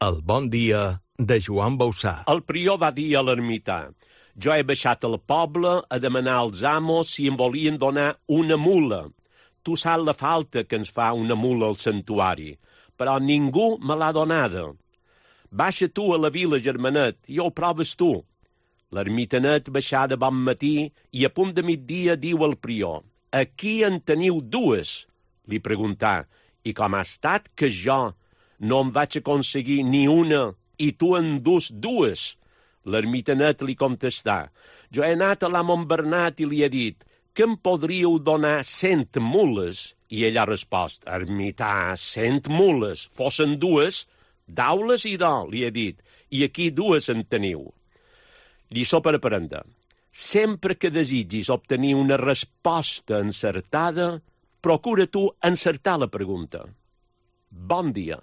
El bon dia de Joan Bausà. El prior va dir a l'ermità: jo he baixat al poble a demanar als amos si em volien donar una mula. Tu saps la falta que ens fa una mula al santuari, però ningú me l'ha donada. Baixa tu a la vila, germanet, i ho proves tu. L'ermitanet baixà de bon matí i a punt de migdia diu al prior: aquí en teniu dues? Li preguntà: i com ha estat que jo no em vaig aconseguir ni una i tu en dus dues? L'ermitanet li contestà: jo he anat a l'amo Bernat i li he dit que em podríeu donar 100 mules, i ell ha respost: ermità, 100 mules, fossin dues, dau-les i do, li he dit, i aquí dues en teniu. Lliçó per aprendre: sempre que desitgis obtenir una resposta encertada, procura tu encertar la pregunta. Bon dia.